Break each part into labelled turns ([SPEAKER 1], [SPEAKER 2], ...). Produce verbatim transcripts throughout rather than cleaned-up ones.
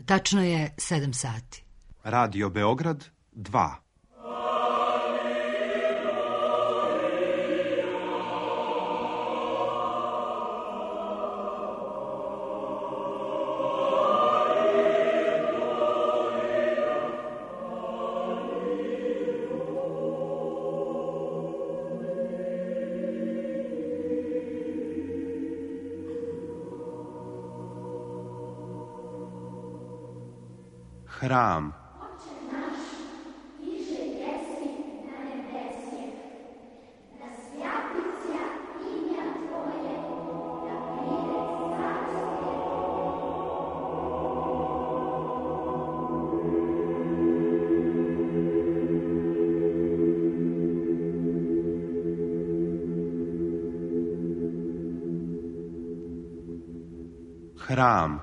[SPEAKER 1] Tačno je sedam sati.
[SPEAKER 2] Radio Beograd dva. Hram.
[SPEAKER 3] Oče naš, iže jesi na nebesje, da svjatися imja Tvoje, da pride carstvo.
[SPEAKER 2] Hram.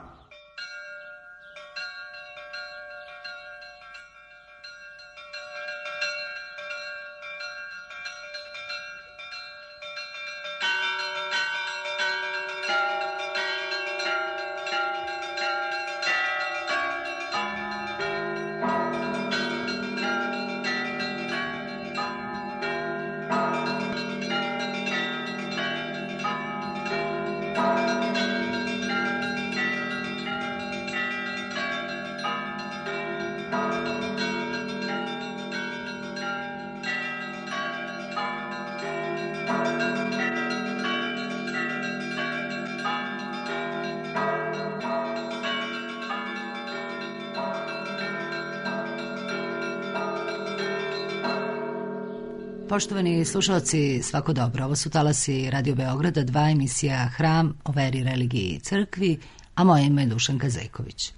[SPEAKER 1] Poštovani slušalci, svako dobro. Ovo su talasi Radio Beograda, dva emisija Hram o veri, religiji i crkvi, a moje ime je Dušanka Zejković.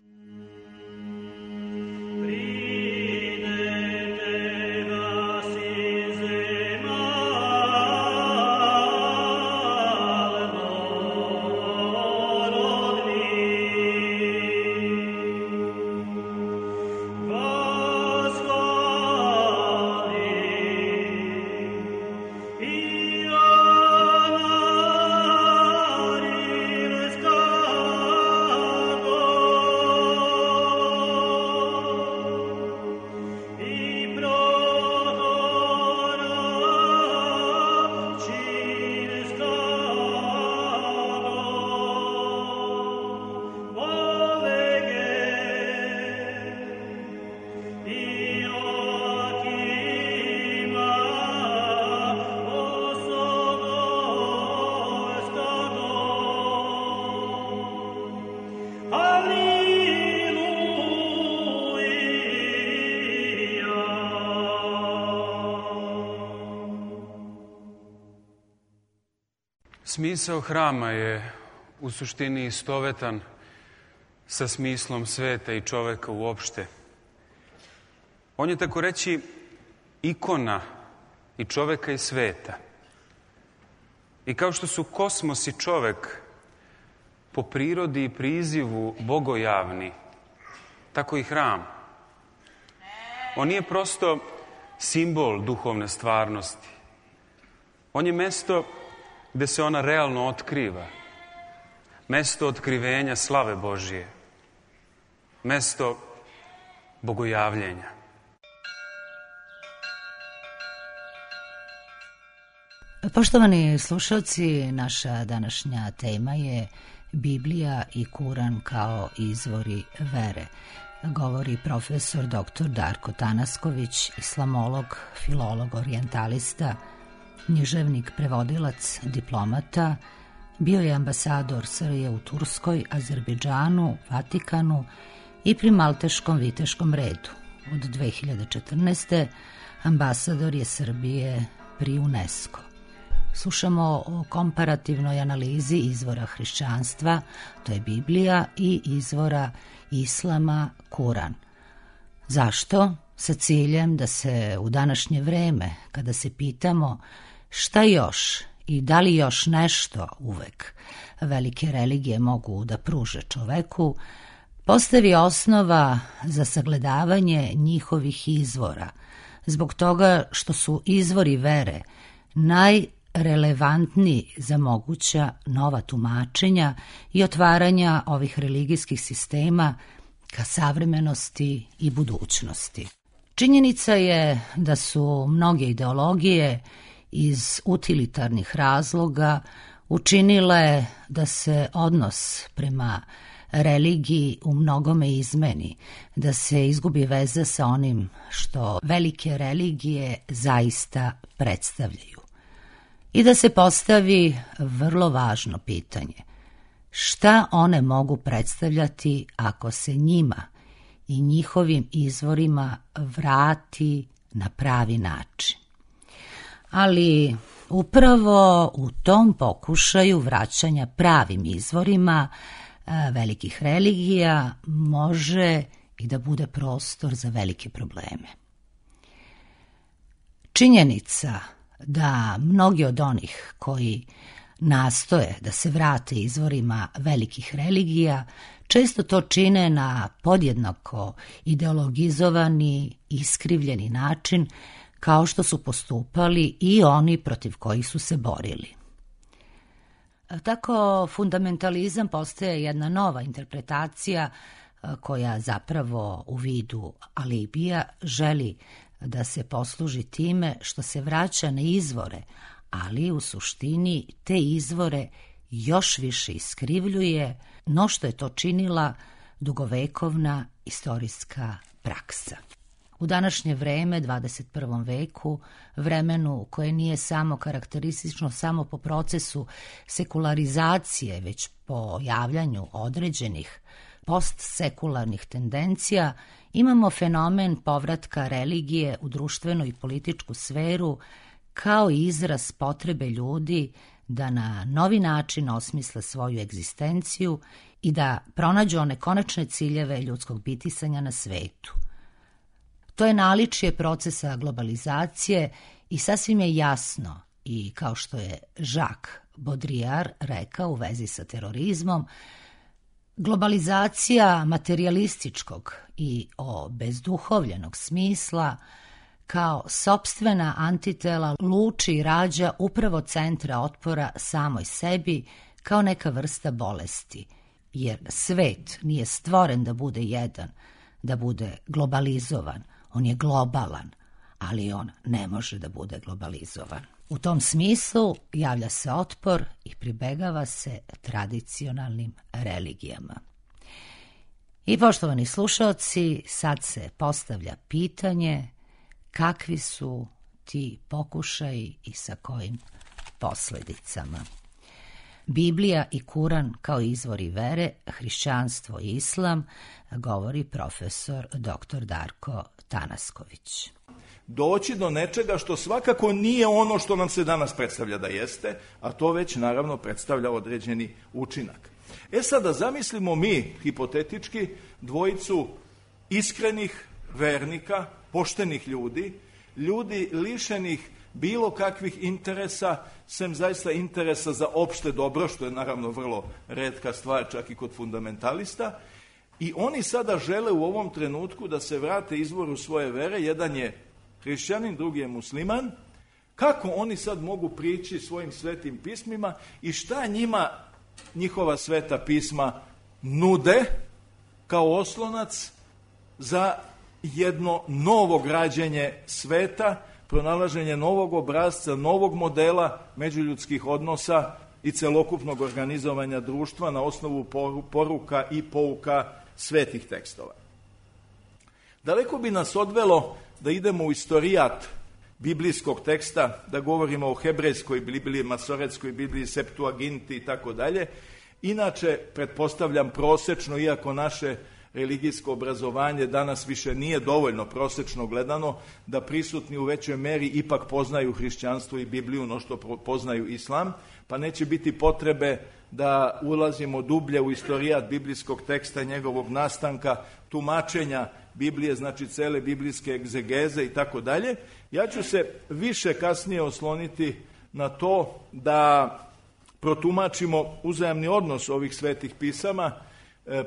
[SPEAKER 4] Smisao hrama je u suštini istovetan sa smislom sveta i čoveka uopšte. On je, tako reći, ikona i čoveka i sveta. I kao što su kosmos i čovek po prirodi i prizivu bogojavni, tako i hram. On nije prosto simbol duhovne stvarnosti. On je mesto gde se ona realno otkriva. Mesto otkrivenja slave Božije. Mesto bogojavljenja.
[SPEAKER 1] Poštovani slušalci, naša današnja tema je Biblija i Kuran kao izvori vere. Govori profesor doktor Darko Tanasković, islamolog, filolog, orijentalista, književnik, prevodilac, diplomata, bio je ambasador Srbije u Turskoj, Azerbejdžanu, Vatikanu i pri Malteškom viteškom redu. Od dve hiljade četrnaeste. ambasador je Srbije pri UNESCO. Slušamo o komparativnoj analizi izvora hrišćanstva, to je Biblija, i izvora islama, Kuran. Zašto? Sa ciljem da se u današnje vreme, kada se pitamo šta još i da li još nešto uvek velike religije mogu da pruže čoveku, postavi osnova za sagledavanje njihovih izvora, zbog toga što su izvori vere najrelevantniji za moguća nova tumačenja i otvaranja ovih religijskih sistema ka savremenosti i budućnosti. Činjenica je da su mnoge ideologije iz utilitarnih razloga učinile da se odnos prema religiji u mnogome izmeni, da se izgubi veza sa onim što velike religije zaista predstavljaju. I da se postavi vrlo važno pitanje: šta one mogu predstavljati ako se njima i njihovim izvorima vrati na pravi način? Ali upravo u tom pokušaju vraćanja pravim izvorima velikih religija može i da bude prostor za velike probleme. Činjenica da mnogi od onih koji nastoje da se vrate izvorima velikih religija često to čine na podjednako ideologizovani, iskrivljeni način, kao što su postupali i oni protiv kojih su se borili. Tako fundamentalizam postaje jedna nova interpretacija koja zapravo u vidu alibija želi da se posluži time što se vraća na izvore, ali u suštini te izvore još više iskrivljuje no što je to činila dugovekovna istorijska praksa. U današnje vreme, dvadeset prvom veku, vremenu koje nije samo karakteristično samo po procesu sekularizacije, već po javljanju određenih postsekularnih tendencija, imamo fenomen povratka religije u društvenu i političku sferu kao izraz potrebe ljudi da na novi način osmisle svoju egzistenciju i da pronađu one konačne ciljeve ljudskog bitisanja na svetu. To je naličje procesa globalizacije i sasvim je jasno, i kao što je Jacques Baudrillard rekao u vezi sa terorizmom, globalizacija materijalističkog i obezduhovljenog smisla kao sopstvena antitela luči i rađa upravo centra otpora samoj sebi kao neka vrsta bolesti, jer svet nije stvoren da bude jedan, da bude globalizovan. On je globalan, ali on ne može da bude globalizovan. U tom smislu javlja se otpor i pribegava se tradicionalnim religijama. I poštovani slušaoci, sad se postavlja pitanje kakvi su ti pokušaji i sa kojim posledicama. Biblija i Kuran kao izvori vere, hrišćanstvo i islam, govori profesor doktor Darko Tanasković.
[SPEAKER 5] Doći do nečega što svakako nije ono što nam se danas predstavlja da jeste, a to već naravno predstavlja određeni učinak. E sada zamislimo mi, hipotetički, dvojicu iskrenih vernika, poštenih ljudi, ljudi lišenih bilo kakvih interesa, sem zaista interesa za opšte dobro, što je naravno vrlo retka stvar čak i kod fundamentalista, i oni sada žele u ovom trenutku da se vrate izvoru svoje vere. Jedan je hrišćanin, drugi je musliman. Kako oni sad mogu prići svojim svetim pismima i šta njima njihova sveta pisma nude kao oslonac za jedno novo građenje sveta, pronalaženje novog obrazca, novog modela međuljudskih odnosa i celokupnog organizovanja društva na osnovu poruka i pouka svetih tekstova. Daleko bi nas odvelo da idemo u istorijat biblijskog teksta, da govorimo o hebrejskoj Bibliji, masoretskoj Bibliji, Septuaginti i tako dalje. Inače, pretpostavljam prosečno, iako naše religijsko obrazovanje danas više nije dovoljno prosečno gledano, da prisutni u većoj meri ipak poznaju hrišćanstvo i Bibliju no što poznaju islam, pa neće biti potrebe da ulazimo dublje u istorijat biblijskog teksta, njegovog nastanka, tumačenja Biblije, znači cele biblijske egzegeze i tako dalje. Ja ću se više kasnije osloniti na to da protumačimo uzajamni odnos ovih svetih pisama,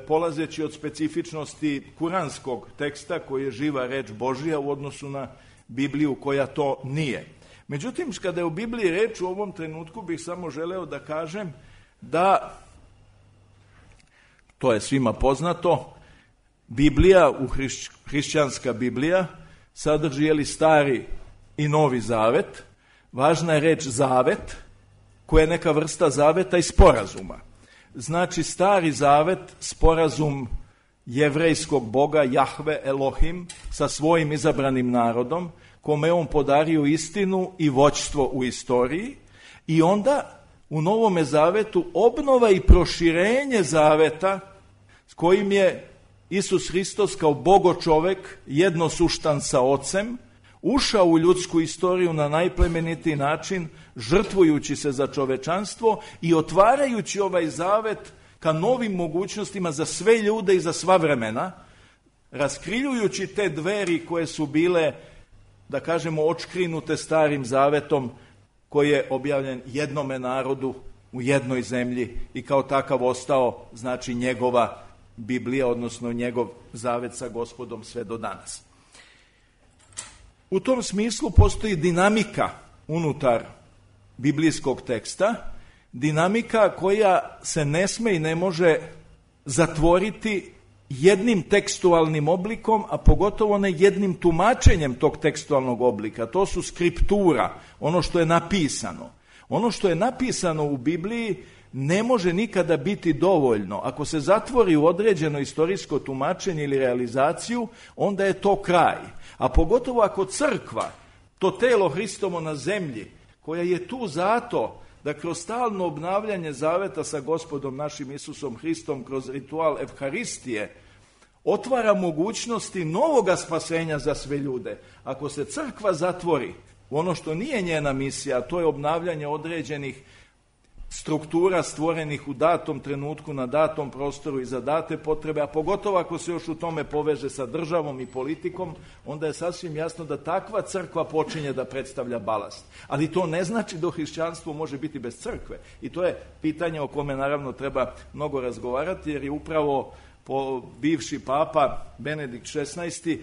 [SPEAKER 5] polazeći od specifičnosti kuranskog teksta koji je živa reč Božija u odnosu na Bibliju koja to nije. Međutim, kada je u Bibliji reč u ovom trenutku, bih samo želeo da kažem da, to je svima poznato, Biblija, u hrišć, hrišćanska Biblija, sadrži jeli stari i novi zavet. Važna je reč zavet, koja je neka vrsta zaveta i sporazuma. Znači, stari zavet, sporazum jevrejskog boga Jahve Elohim sa svojim izabranim narodom, kome je on podario istinu i vođstvo u istoriji, i onda u Novome zavetu obnova i proširenje zaveta s kojim je Isus Hristos kao Bogo čovek, jednosuštan sa Ocem, ušao u ljudsku istoriju na najplemenitiji način, žrtvujući se za čovečanstvo i otvarajući ovaj zavet ka novim mogućnostima za sve ljude i za sva vremena, raskrivljujući te dveri koje su bile, da kažemo, očkrinute starim zavetom, koji je objavljen jednome narodu u jednoj zemlji i kao takav ostao, znači, njegova Biblija, odnosno njegov zavet sa Gospodom sve do danas. U tom smislu postoji dinamika unutar biblijskog teksta, dinamika koja se ne sme i ne može zatvoriti jednim tekstualnim oblikom, a pogotovo ne jednim tumačenjem tog tekstualnog oblika. To su skriptura, ono što je napisano. Ono što je napisano u Bibliji ne može nikada biti dovoljno. Ako se zatvori u određeno istorijsko tumačenje ili realizaciju, onda je to kraj. A pogotovo ako crkva, to telo Hristovo na zemlji, koja je tu zato da kroz stalno obnavljanje zaveta sa Gospodom našim Isusom Hristom, kroz ritual Evharistije, otvara mogućnosti novoga spasenja za sve ljude. Ako se crkva zatvori u ono što nije njena misija, a to je obnavljanje određenih struktura stvorenih u datom trenutku, na datom prostoru i za date potrebe, a pogotovo ako se još u tome poveže sa državom i politikom, onda je sasvim jasno da takva crkva počinje da predstavlja balast. Ali to ne znači da hrišćanstvo može biti bez crkve. I to je pitanje o kome naravno treba mnogo razgovarati, jer je upravo po bivši papa Benedikt šesnaesti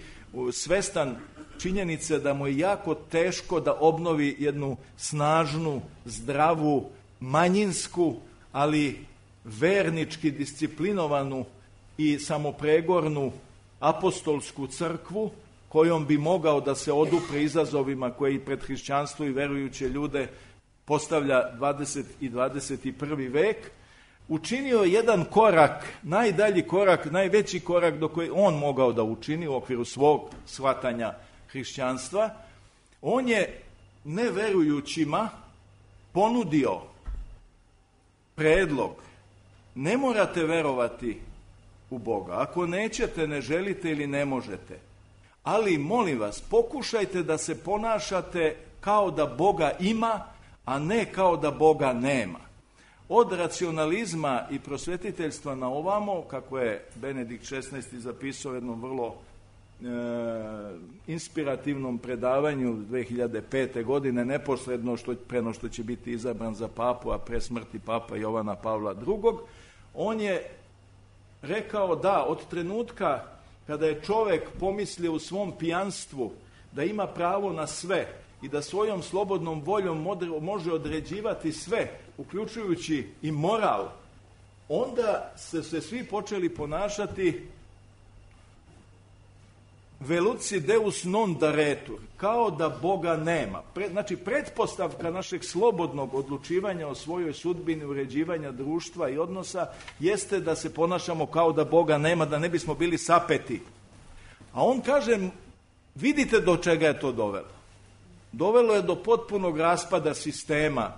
[SPEAKER 5] svestan činjenice da mu je jako teško da obnovi jednu snažnu, zdravu, manjinsku, ali vernički disciplinovanu i samopregornu apostolsku crkvu, kojom bi mogao da se odupre izazovima koji pred hrišćanstvo i verujuće ljude postavlja dvadeseti i dvadeset prvi vek, učinio jedan korak, najdalji korak, najveći korak do koji on mogao da učini u okviru svog shvatanja hrišćanstva. On je neverujućima ponudio predlog: ne morate verovati u Boga. Ako nećete, ne želite ili ne možete. Ali, molim vas, pokušajte da se ponašate kao da Boga ima, a ne kao da Boga nema. Od racionalizma i prosvetiteljstva na ovamo, kako je Benedikt šesnaesti zapisao jednom vrlo e, inspirativnom predavanju dve hiljade pete. godine, neposredno što, preno što će biti izabran za papu, a pre smrti papa Jovana Pavla drugog, on je rekao da od trenutka kada je čovek pomislio u svom pijanstvu da ima pravo na sve i da svojom slobodnom voljom može određivati sve, uključujući i moral, onda se, se svi počeli ponašati veluci deus non daretur, kao da Boga nema. Pre, znači, pretpostavka našeg slobodnog odlučivanja o svojoj sudbini, uređivanja društva i odnosa, jeste da se ponašamo kao da Boga nema, da ne bismo bili sapeti. A on kaže, vidite do čega je to dovelo. Dovelo je do potpunog raspada sistema,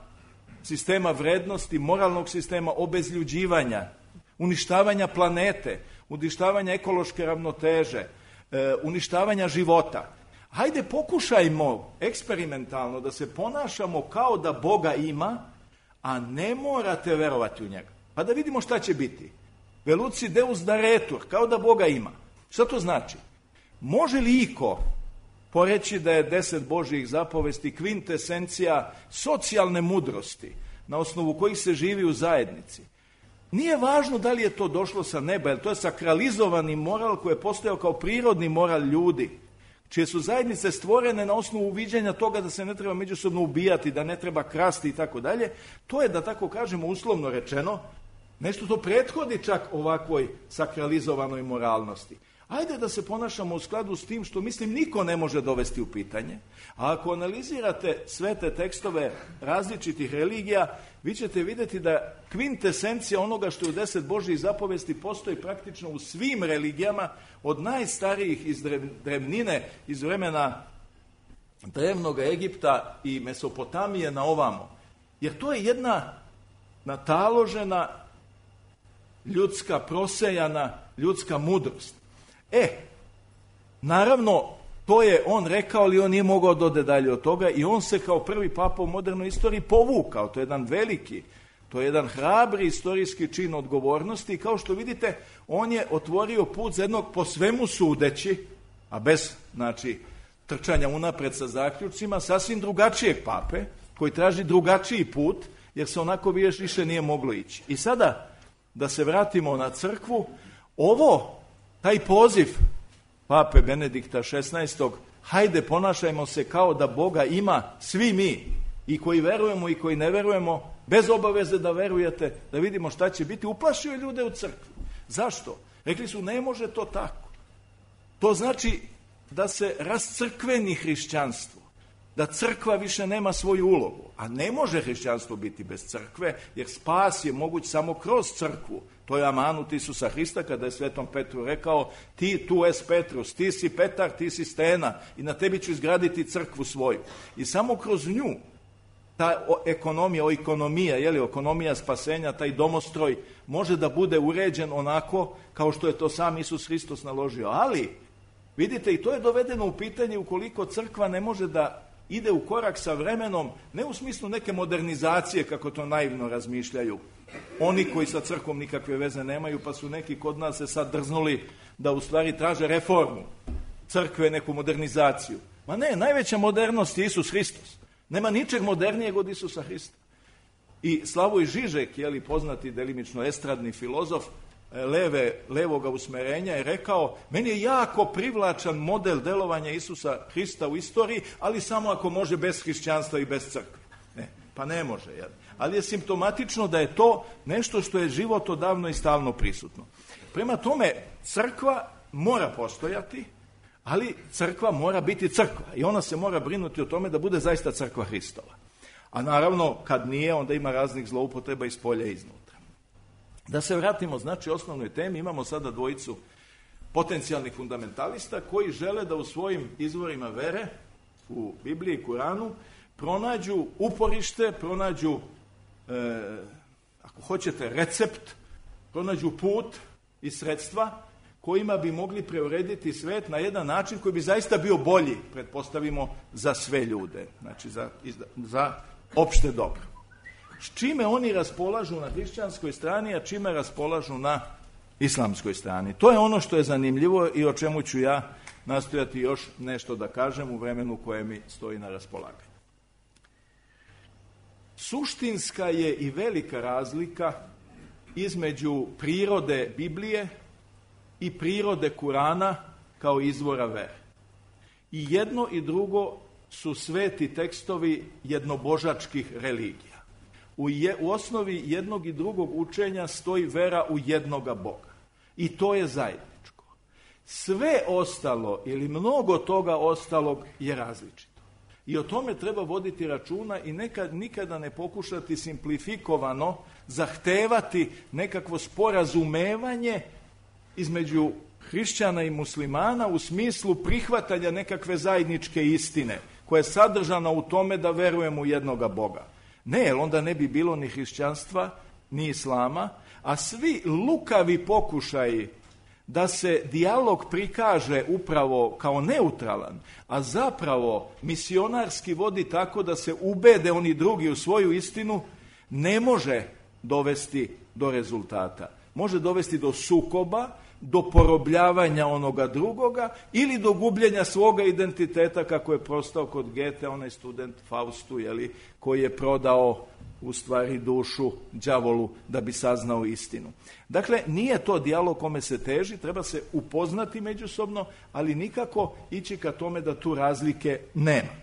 [SPEAKER 5] sistema vrednosti, moralnog sistema, obezljuđivanja, uništavanja planete, uništavanja ekološke ravnoteže, e, uništavanja života. Hajde, pokušajmo eksperimentalno da se ponašamo kao da Boga ima, a ne morate verovati u njega. Pa da vidimo šta će biti. Veluci deus daretur, kao da Boga ima. Šta to znači? Može li iko poreći da je deset Božjih zapovesti kvintesencija socijalne mudrosti na osnovu kojih se živi u zajednici? Nije važno da li je to došlo sa neba, jer to je sakralizovani moral koji je postojao kao prirodni moral ljudi, čije su zajednice stvorene na osnovu uviđanja toga da se ne treba međusobno ubijati, da ne treba krasti i tako dalje. To je, da tako kažemo, uslovno rečeno, nešto to prethodi čak ovakvoj sakralizovanoj moralnosti. Ajde da se ponašamo u skladu s tim što, mislim, niko ne može dovesti u pitanje. A ako analizirate sve te tekstove različitih religija, vi ćete vidjeti da kvintesencija onoga što je u deset Božjih zapovesti postoji praktično u svim religijama, od najstarijih iz drevnine, iz vremena drevnog Egipta i Mesopotamije na ovamo. Jer to je jedna nataložena, ljudska, prosejana, ljudska mudrost. E, naravno, to je on rekao, ali on nije mogao dode dalje od toga i on se kao prvi papa u modernoj istoriji povukao. To je jedan veliki, to je jedan hrabri istorijski čin odgovornosti i kao što vidite, on je otvorio put za jednog po svemu sudeći, a bez, znači, trčanja unapred sa zaključcima, sasvim drugačijeg pape, koji traži drugačiji put, jer se onako više nije moglo ići. I sada, da se vratimo na crkvu, ovo, taj poziv pape Benedikta šesnaestog, hajde ponašajmo se kao da Boga ima svi mi, i koji verujemo i koji ne verujemo, bez obaveze da verujete, da vidimo šta će biti, uplašio je ljude u crkvi. Zašto? Rekli su, ne može to tako. To znači da se rascrkveni hrišćanstvo, da crkva više nema svoju ulogu, a ne može hrišćanstvo biti bez crkve, jer spas je moguć samo kroz crkvu. To je amanut Isusa Hrista kada je Svetom Petru rekao, ti tu es Petrus, ti si Petar, ti si stena i na tebi ću izgraditi crkvu svoju. I samo kroz nju ta ekonomija, o ekonomija, je li, ekonomija spasenja, taj domostroj može da bude uređen onako kao što je to sam Isus Hristos naložio. Ali, vidite, i to je dovedeno u pitanje ukoliko crkva ne može da ide u korak sa vremenom, ne u smislu neke modernizacije, kako to naivno razmišljaju oni koji sa crkvom nikakve veze nemaju, pa su neki kod nas se sad drznuli da u stvari traže reformu crkve, neku modernizaciju. Ma ne, najveća modernost je Isus Hristos. Nema ničeg modernijeg od Isusa Hrista. I Slavoj Žižek, je li poznati delimično estradni filozof leve, levoga usmerenja, je rekao, meni je jako privlačan model delovanja Isusa Hrista u istoriji, ali samo ako može bez hrišćanstva i bez crkve. Ne, pa ne može, jel? Ali je simptomatično da je to nešto što je životodavno i stalno prisutno. Prema tome, crkva mora postojati, ali crkva mora biti crkva i ona se mora brinuti o tome da bude zaista crkva Hristova. A naravno, kad nije, onda ima raznih zloupotreba iz polja i iznutra. Da se vratimo, znači, osnovnoj temi, imamo sada dvojicu potencijalnih fundamentalista koji žele da u svojim izvorima vere, u Bibliji i Kuranu, pronađu uporište, pronađu, e, ako hoćete, recept, pronađu put i sredstva kojima bi mogli preurediti svet na jedan način koji bi zaista bio bolji, pretpostavimo, za sve ljude, znači za, za opšte dobro. S čime oni raspolažu na hrišćanskoj strani, a čime raspolažu na islamskoj strani? To je ono što je zanimljivo i o čemu ću ja nastojati još nešto da kažem u vremenu koje mi stoji na raspolaganju. Suštinska je i velika razlika između prirode Biblije i prirode Kurana kao izvora vere. I jedno i drugo su sveti tekstovi jednobožačkih religija. U, je, u osnovi jednog i drugog učenja stoji vera u jednoga Boga. I to je zajedničko. Sve ostalo ili mnogo toga ostalog je različito. I o tome treba voditi računa i nekad, nikada ne pokušati simplifikovano zahtevati nekakvo sporazumevanje između hrišćana i muslimana u smislu prihvatanja nekakve zajedničke istine koja je sadržana u tome da verujemo u jednoga Boga. Ne, jer onda ne bi bilo ni hrišćanstva, ni islama, a svi lukavi pokušaji da se dijalog prikaže upravo kao neutralan, a zapravo misionarski vodi tako da se ubede oni drugi u svoju istinu, ne može dovesti do rezultata. Može dovesti do sukoba, do porobljavanja onoga drugoga ili do gubljenja svoga identiteta, kako je prostao kod Gete, onaj student Faustu, jeli, koji je prodao u stvari dušu đavolu da bi saznao istinu. Dakle, nije to dijalog kome se teži, treba se upoznati međusobno, ali nikako ići ka tome da tu razlike nema.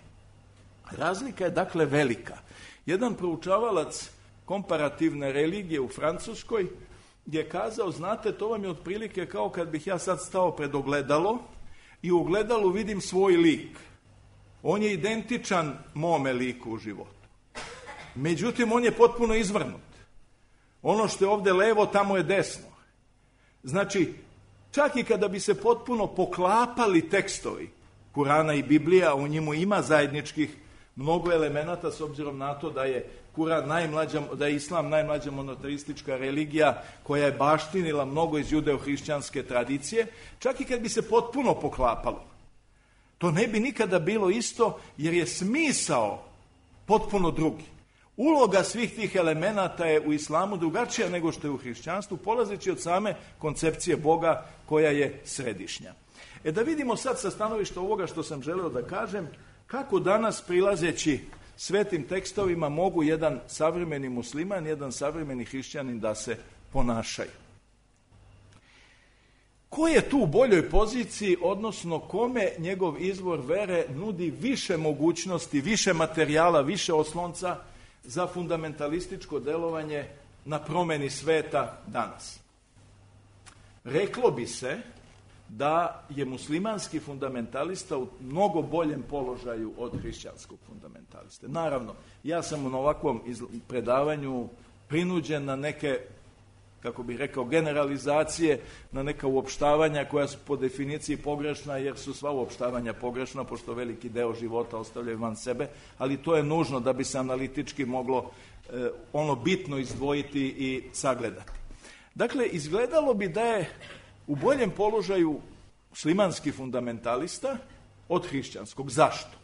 [SPEAKER 5] Razlika je dakle velika. Jedan proučavalac komparativne religije u Francuskoj je kazao, znate, to vam je otprilike kao kad bih ja sad stao pred ogledalo i u ogledalu vidim svoj lik. On je identičan mome liku u životu. Međutim, on je potpuno izvrnut. Ono što je ovdje levo, tamo je desno. Znači, čak i kada bi se potpuno poklapali tekstovi Kurana i Biblija, u njemu ima zajedničkih mnogo elemenata s obzirom na to da je Kuran najmlađa, da je Islam najmlađa monoteistička religija koja je baštinila mnogo iz judeo-hrišćanske tradicije, čak i kad bi se potpuno poklapalo. To ne bi nikada bilo isto jer je smisao potpuno drugi. Uloga svih tih elemenata je u islamu drugačija nego što je u hrišćanstvu, polazeći od same koncepcije Boga koja je središnja. E da vidimo sad sa stanovišta ovoga što sam želeo da kažem, kako danas prilazeći svetim tekstovima mogu jedan savremeni musliman, jedan savremeni hrišćanin da se ponašaju. Ko je tu u boljoj poziciji, odnosno kome njegov izvor vere nudi više mogućnosti, više materijala, više oslonca za fundamentalističko delovanje na promeni sveta danas? Reklo bi se da je muslimanski fundamentalista u mnogo boljem položaju od hrišćanskog fundamentaliste. Naravno, ja sam na ovakvom predavanju prinuđen na neke, kako bih rekao, generalizacije, na neka uopštavanja koja su po definiciji pogrešna, jer su sva uopštavanja pogrešna, pošto veliki deo života ostavljaju van sebe, ali to je nužno da bi se analitički moglo eh, ono bitno izdvojiti i sagledati. Dakle, izgledalo bi da je u boljem položaju muslimanski fundamentalista od hrišćanskog. Zašto?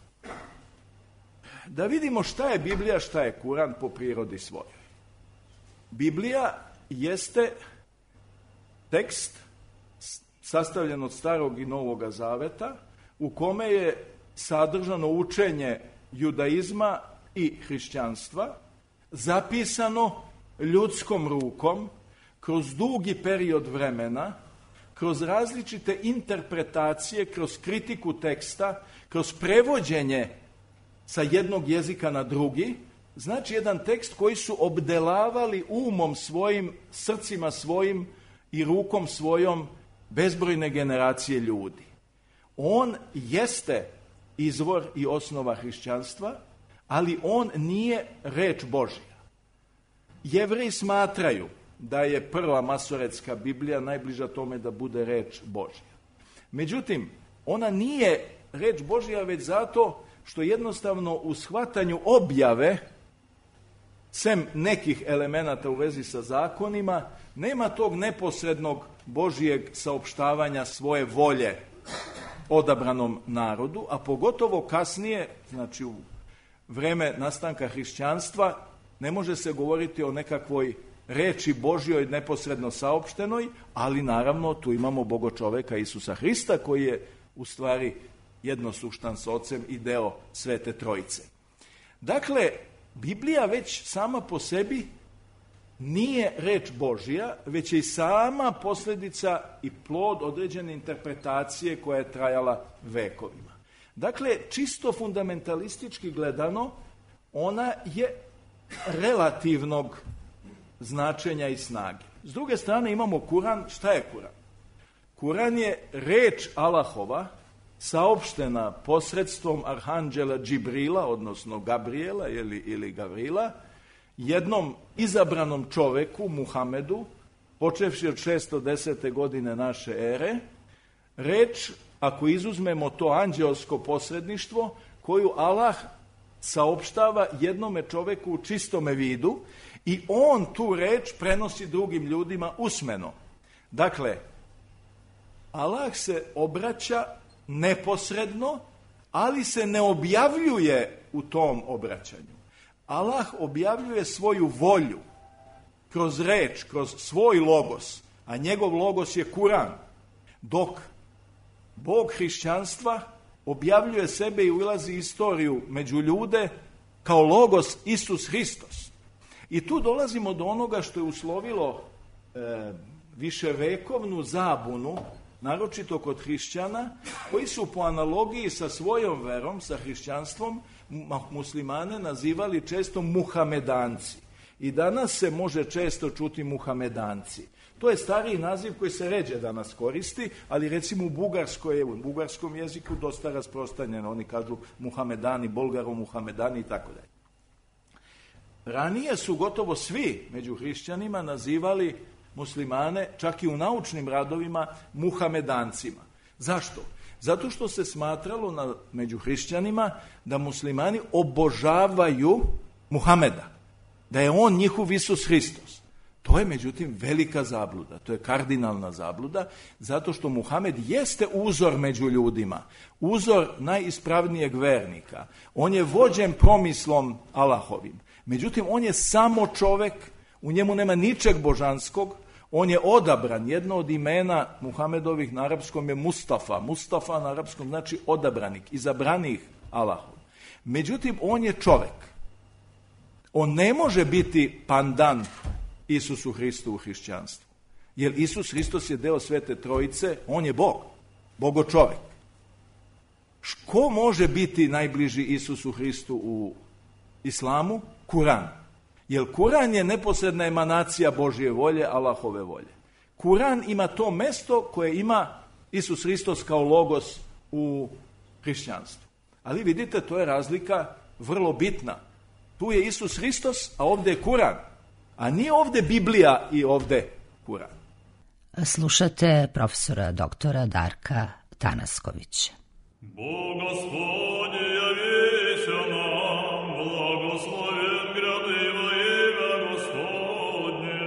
[SPEAKER 5] Da vidimo šta je Biblija, šta je Kuran po prirodi svojoj. Biblija jeste tekst sastavljen od Starog i Novoga Zaveta u kome je sadržano učenje judaizma i hrišćanstva, zapisano ljudskom rukom kroz dugi period vremena, kroz različite interpretacije, kroz kritiku teksta, kroz prevođenje sa jednog jezika na drugi. Znači jedan tekst koji su obdelavali umom svojim, srcima svojim i rukom svojom bezbrojne generacije ljudi. On jeste izvor i osnova hrišćanstva, ali on nije reč Božja. Jevreji smatraju da je prva masoretska Biblija najbliža tome da bude reč Božja. Međutim, ona nije reč Božja već zato što jednostavno u shvatanju objave, sem nekih elemenata u vezi sa zakonima, nema tog neposrednog Božijeg saopštavanja svoje volje odabranom narodu, a pogotovo kasnije, znači u vreme nastanka hrišćanstva, ne može se govoriti o nekakvoj reči Božjoj neposredno saopštenoj, ali naravno tu imamo Bogočoveka Isusa Hrista koji je u stvari jednosuštan s Ocem i deo Svete Trojice. Dakle, Biblija već sama po sebi nije reč Božja, već je i sama posljedica i plod određene interpretacije koja je trajala vekovima. Dakle, čisto fundamentalistički gledano, ona je relativnog značenja i snage. S druge strane imamo Kuran. Šta je Kuran? Kuran je reč Allahova saopštena posredstvom arhanđela Džibrila, odnosno Gabriela ili, ili Gavrila, jednom izabranom čoveku, Muhamedu, počevši od šesto desete godine naše ere, reč, ako izuzmemo to anđelsko posredništvo, koju Allah saopštava jednome čoveku u čistome vidu i on tu reč prenosi drugim ljudima usmeno. Dakle, Allah se obraća neposredno, ali se ne objavljuje u tom obraćanju. Allah objavljuje svoju volju kroz reč, kroz svoj logos, a njegov logos je Kuran, dok Bog hrišćanstva objavljuje sebe i ulazi istoriju među ljude kao logos Isus Hristos. I tu dolazimo do onoga što je uslovilo e, viševekovnu zabunu, naročito kod hrišćana, koji su po analogiji sa svojom verom, sa hrišćanstvom, muslimane nazivali često muhamedanci. I danas se može često čuti muhamedanci. To je stariji naziv koji se ređe danas koristi, ali recimo u Bugarskoj, u bugarskom jeziku dosta rasprostranjeno. Oni kažu Muhamedani, Bolgaro Muhamedani i tako dalje. Ranije su gotovo svi među hrišćanima nazivali muslimane, čak i u naučnim radovima, Muhamedancima. Zašto? Zato što se smatralo na, među hrišćanima da muslimani obožavaju Muhameda, da je on njihov Isus Hristos. To je međutim velika zabluda, to je kardinalna zabluda, zato što Muhamed jeste uzor među ljudima, uzor najispravnijeg vernika. On je vođen promislom Allahovim. Međutim, on je samo čovek, u njemu nema ničeg božanskog, on je odabran. Jedno od imena Muhamedovih na arapskom je Mustafa. Mustafa na arapskom znači odabranik, izabranih Allahom. Međutim, on je čovek. On ne može biti pandan Isusu Hristu u hrišćanstvu. Jer Isus Hristos je deo Svete Trojice, on je Bog, Bogo čovek. Ko može biti najbliži Isusu Hristu u islamu? Kuran. Jer Kuran je neposredna emanacija Božje volje, Allahove volje. Kuran ima to mesto koje ima Isus Hristos kao logos u hrišćanstvu. Ali vidite, to je razlika vrlo bitna. Tu je Isus Hristos, a ovdje je Kuran. A nije ovdje Biblija i ovdje Kuran.
[SPEAKER 1] Slušate profesora doktora Darka Tanaskovića.
[SPEAKER 6] Bog Gospodi javися nam, blagosloven gradiva ime Gospodnje.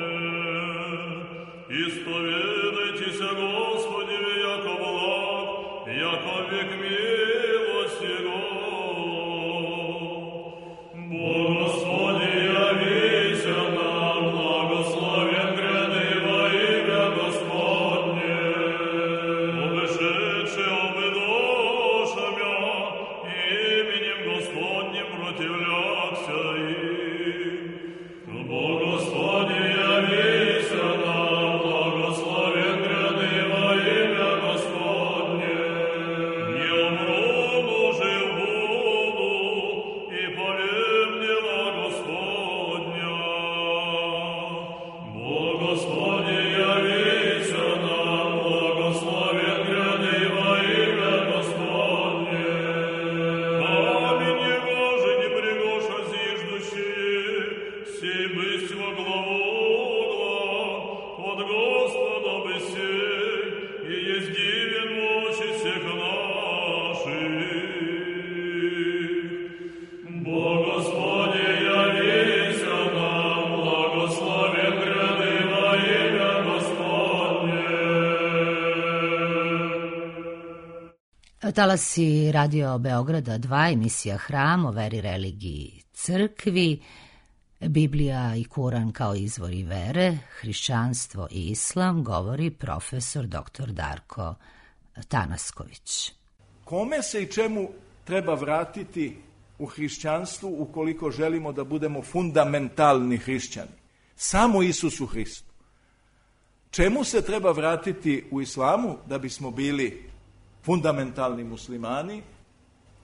[SPEAKER 6] Ispovjedajte se Gospodjevi jako blag, jako vijek milost Jego. Bog Gospodi javися nam, blagosloven gradiva ime Gospodnje. Obešeće obedošam ja, imenjem Gospodnjim protivljakся im. Bog Gospodi javися nam, blagosloven gradiva ime Gospodnje. Не умру, но жив буду, и повем дела Господня. Бог Господи явися нам, благословен грядиво имя Господне. Камень его же не пригоша зиждущие, сей бысть во главу угла, от Господа бы сей, и есть дивен в очи всех наших. Бог Господи явися нам, благословен грядиво имя Господне.
[SPEAKER 1] Talasi Radio Beograda dva, emisija Hram o veri, religiji, crkvi, Biblija i Kuran kao izvori vere, hrišćanstvo i islam, govori profesor doktor Darko Tanasković.
[SPEAKER 5] Kome se i čemu treba vratiti u hrišćanstvu ukoliko želimo da budemo fundamentalni hrišćani? Samo Isusu Hristu. Čemu se treba vratiti u islamu da bismo bili fundamentalni muslimani?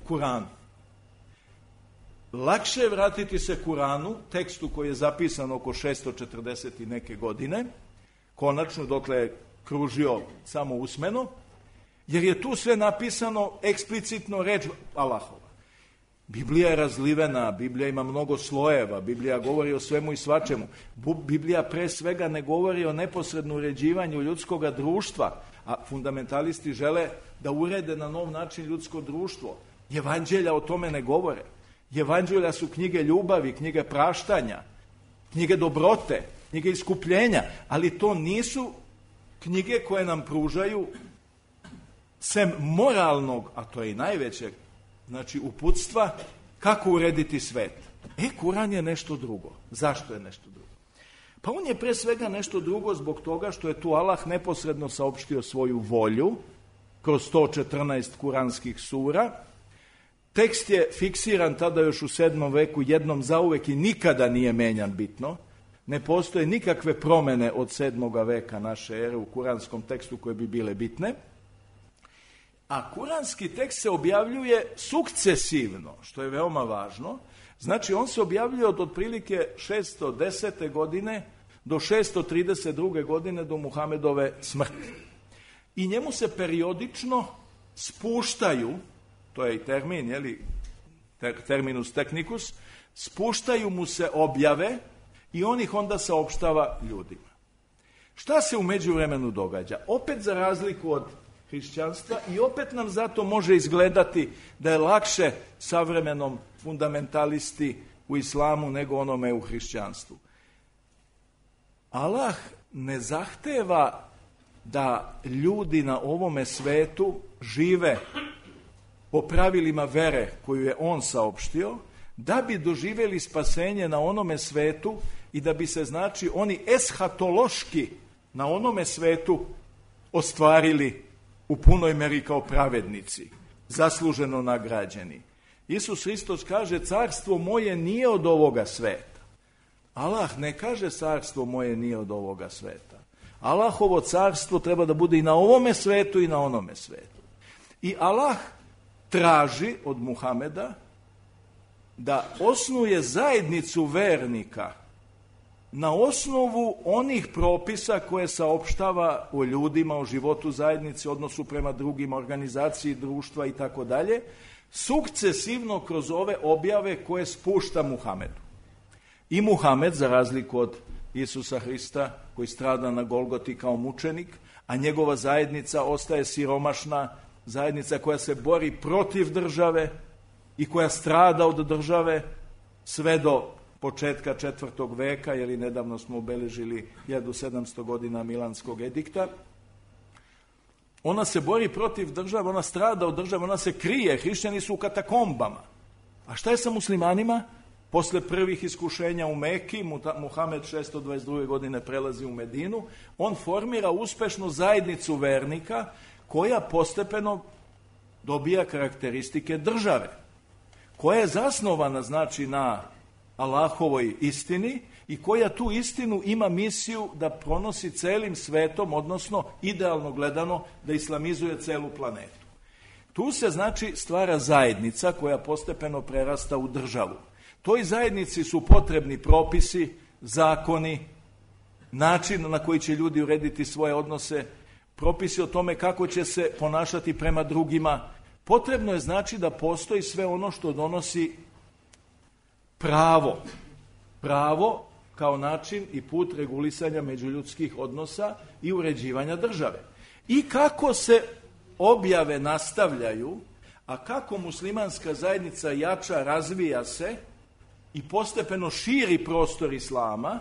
[SPEAKER 5] Kuranu. Lakše je vratiti se Kuranu, tekstu koji je zapisan oko šesto četrdeset i neke godine, konačno dokle je kružio samo usmeno, jer je tu sve napisano eksplicitno reč Allahova. Biblija je razlivena, Biblija ima mnogo slojeva, Biblija govori o svemu i svačemu. Biblija pre svega ne govori o neposrednom uređivanju ljudskog društva, a fundamentalisti žele da urede na nov način ljudsko društvo. Evanđelja o tome ne govore. Evanđelja su knjige ljubavi, knjige praštanja, knjige dobrote, knjige iskupljenja, ali to nisu knjige koje nam pružaju sem moralnog, a to je i najvećeg, znači uputstva, kako urediti svet. E, Kuran je nešto drugo. Zašto je nešto drugo? Pa on je pre svega nešto drugo zbog toga što je tu Allah neposredno saopštio svoju volju kroz sto četrnaest kuranskih sura. Tekst je fiksiran tada još u sedmom veku jednom zauvek i nikada nije menjan bitno. Ne postoje nikakve promene od sedmoga veka naše ere u kuranskom tekstu koje bi bile bitne. A kuranski tekst se objavljuje sukcesivno, što je veoma važno. Znači, on se objavljuje od otprilike šesto desete godine do šesto trideset druge. godine do Muhamedove smrti. I njemu se periodično spuštaju, to je i termin, jeli, ter, terminus technicus, spuštaju mu se objave i on ih onda saopštava ljudima. Šta se u međuvremenu događa? Opet za razliku od hrišćanstva i opet nam zato može izgledati da je lakše savremenom fundamentalisti u islamu nego onome u hrišćanstvu. Allah ne zahteva da ljudi na ovome svetu žive po pravilima vere koju je on saopštio, da bi doživjeli spasenje na onome svetu i da bi se, znači, oni eshatološki na onome svetu ostvarili u punoj meri kao pravednici, zasluženo nagrađeni. Isus Hristos kaže, carstvo moje nije od ovoga sveta. Allah ne kaže carstvo moje nije od ovoga sveta. Allahovo carstvo treba da bude i na ovome svetu i na onome svetu. I Allah traži od Muhameda da osnuje zajednicu vernika na osnovu onih propisa koje saopštava o ljudima, o životu zajednice, odnosu prema drugima, organizaciji društva i tako dalje, sukcesivno kroz ove objave koje spušta Muhamedu. I Muhamed, za razliku od Isusa Hrista, koji strada na Golgoti kao mučenik, a njegova zajednica ostaje siromašna, zajednica koja se bori protiv države i koja strada od države sve do početka četvrtog veka, jer i nedavno smo obeležili hiljadu sedamsto godina Milanskog edikta. Ona se bori protiv države, ona strada od države, ona se krije, hrišćani su u katakombama. A šta je sa muslimanima? Posle prvih iskušenja u Meki, Muhamed šesto dvadeset druge. godine prelazi u Medinu, on formira uspešnu zajednicu vernika koja postepeno dobija karakteristike države, koja je zasnovana, znači, na Allahovoj istini i koja tu istinu ima misiju da pronosi celim svetom, odnosno idealno gledano da islamizuje celu planetu. Tu se, znači, stvara zajednica koja postepeno prerasta u državu. Toj zajednici su potrebni propisi, zakoni, način na koji će ljudi urediti svoje odnose, propisi o tome kako će se ponašati prema drugima. Potrebno je, znači, da postoji sve ono što donosi pravo. Pravo kao način i put regulisanja međuljudskih odnosa i uređivanja države. I kako se objave nastavljaju, a kako muslimanska zajednica jača, razvija se i postepeno širi prostor islama,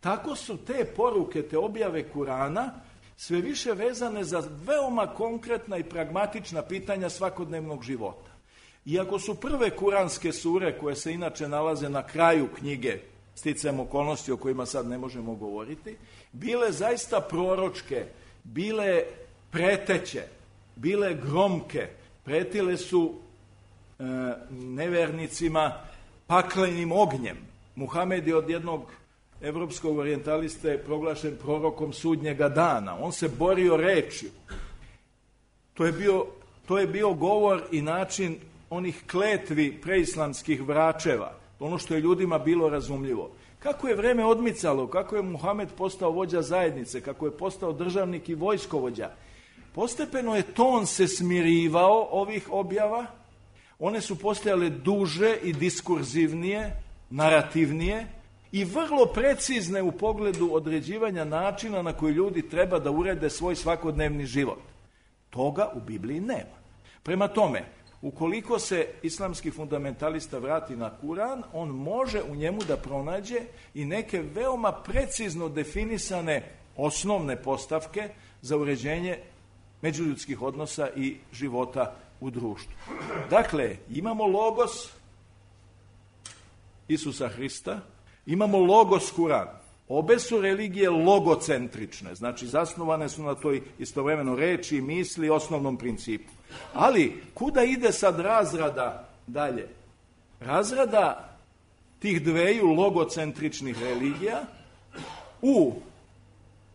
[SPEAKER 5] tako su te poruke, te objave Kurana sve više vezane za veoma konkretna i pragmatična pitanja svakodnevnog života. Iako su prve kuranske sure, koje se inače nalaze na kraju knjige, sticajem okolnosti o kojima sad ne možemo govoriti, bile zaista proročke, bile preteće, bile gromke, pretile su e, nevernicima paklenim ognjem. Muhamed je od jednog evropskog orijentaliste proglašen prorokom sudnjega dana. On se borio rečju. To je bio, to je bio govor i način onih kletvi preislamskih vračeva, ono što je ljudima bilo razumljivo. Kako je vreme odmicalo, kako je Muhamed postao vođa zajednice, kako je postao državnik i vojskovođa, postepeno je ton se smirivao ovih objava, one su postajale duže i diskurzivnije, narativnije i vrlo precizne u pogledu određivanja načina na koji ljudi treba da urede svoj svakodnevni život. Toga u Bibliji nema. Prema tome, ukoliko se islamski fundamentalista vrati na Kuran, on može u njemu da pronađe i neke veoma precizno definisane osnovne postavke za uređenje međuljudskih odnosa i života u društvu. Dakle, imamo logos Isusa Hrista, imamo logos Kuran. Obe su religije logocentrične, znači zasnovane su na toj istovremeno reči i misli i osnovnom principu. Ali, kuda ide sad razrada dalje? Razrada tih dveju logocentričnih religija u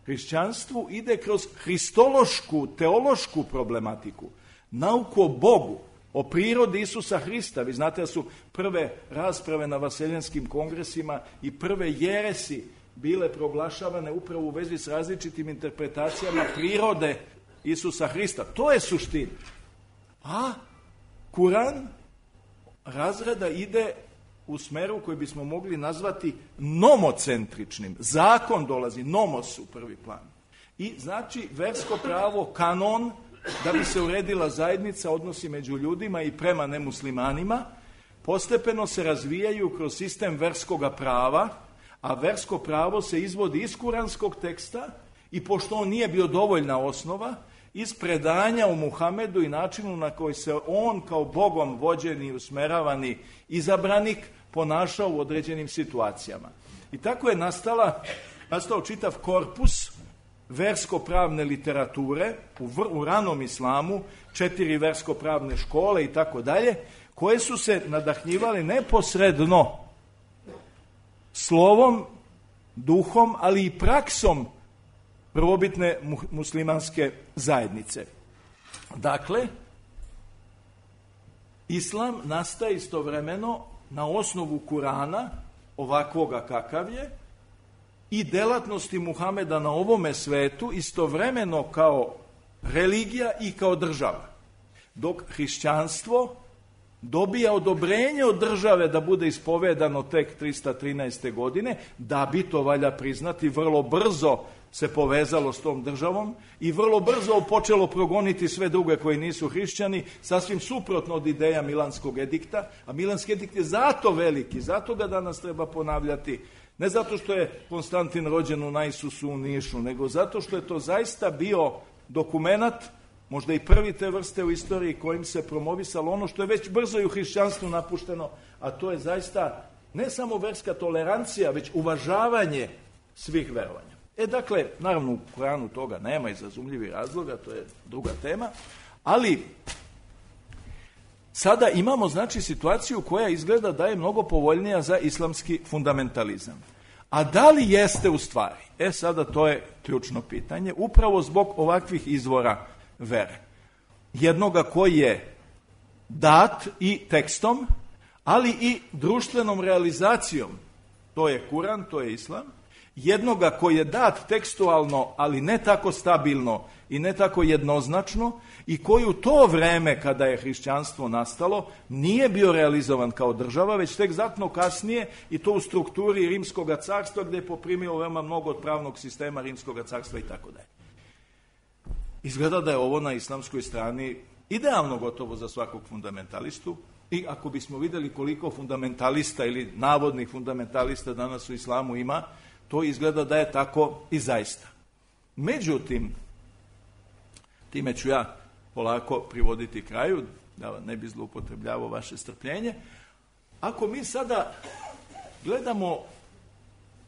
[SPEAKER 5] hrišćanstvu ide kroz hristološku, teološku problematiku, nauku o Bogu, o prirodi Isusa Hrista. Vi znate da su prve rasprave na vaseljenskim kongresima i prve jeresi bile proglašavane upravo u vezi s različitim interpretacijama prirode Isusa Hrista. To je suština. A Kuran razrada ide u smeru koji bismo mogli nazvati nomocentričnim. Zakon dolazi, nomos u prvi plan. I znači versko pravo, kanon, da bi se uredila zajednica, odnosi među ljudima i prema nemuslimanima, postepeno se razvijaju kroz sistem verskoga prava, a versko pravo se izvodi iz kuranskog teksta i pošto on nije bio dovoljna osnova, iz predanja u Muhamedu i načinu na koji se on kao Bogom vođeni, usmeravani izabranik ponašao u određenim situacijama. I tako je nastala, nastao čitav korpus versko-pravne literature u, vr, u ranom islamu, četiri versko-pravne škole i tako dalje, koje su se nadahnjivali neposredno slovom, duhom, ali i praksom prvobitne muslimanske zajednice. Dakle, islam nastaje istovremeno na osnovu Kurana, ovakvoga kakav je, i delatnosti Muhameda na ovome svetu istovremeno kao religija i kao država. Dok hrišćanstvo dobija odobrenje od države da bude ispovedano tek trista trinaeste. godine, da bi, to valja priznati, vrlo brzo se povezalo s tom državom i vrlo brzo počelo progoniti sve druge koji nisu hrišćani, sasvim suprotno od ideja Milanskog edikta, a Milanski edikt je zato veliki, zato ga danas treba ponavljati, ne zato što je Konstantin rođen u Naisusu u Nišu, nego zato što je to zaista bio dokumenat, možda i prvi te vrste u istoriji kojim se promovisalo ono što je već brzo i u hrišćanstvu napušteno, a to je zaista ne samo verska tolerancija, već uvažavanje svih verovanja. E, dakle, naravno u Koranu toga nema iz razumljivih razloga, to je druga tema, ali sada imamo, znači, situaciju koja izgleda da je mnogo povoljnija za islamski fundamentalizam. A da li jeste u stvari? E, sada to je ključno pitanje, upravo zbog ovakvih izvora vere. Jednoga koji je dat i tekstom, ali i društvenom realizacijom. To je Kuran, to je islam. Jednoga koji je dat tekstualno, ali ne tako stabilno i ne tako jednoznačno, i koji u to vreme kada je hrišćanstvo nastalo nije bio realizovan kao država, već tek znatno kasnije, i to u strukturi Rimskog carstva, gdje je poprimio veoma mnogo od pravnog sistema Rimskog carstva i tako dalje. Izgleda da je ovo na islamskoj strani idealno gotovo za svakog fundamentalistu, i ako bismo vidjeli koliko fundamentalista ili navodnih fundamentalista danas u islamu ima, to izgleda da je tako i zaista. Međutim, time ću ja polako privoditi kraju, da ne bi zloupotrebljavao vaše strpljenje. Ako mi sada gledamo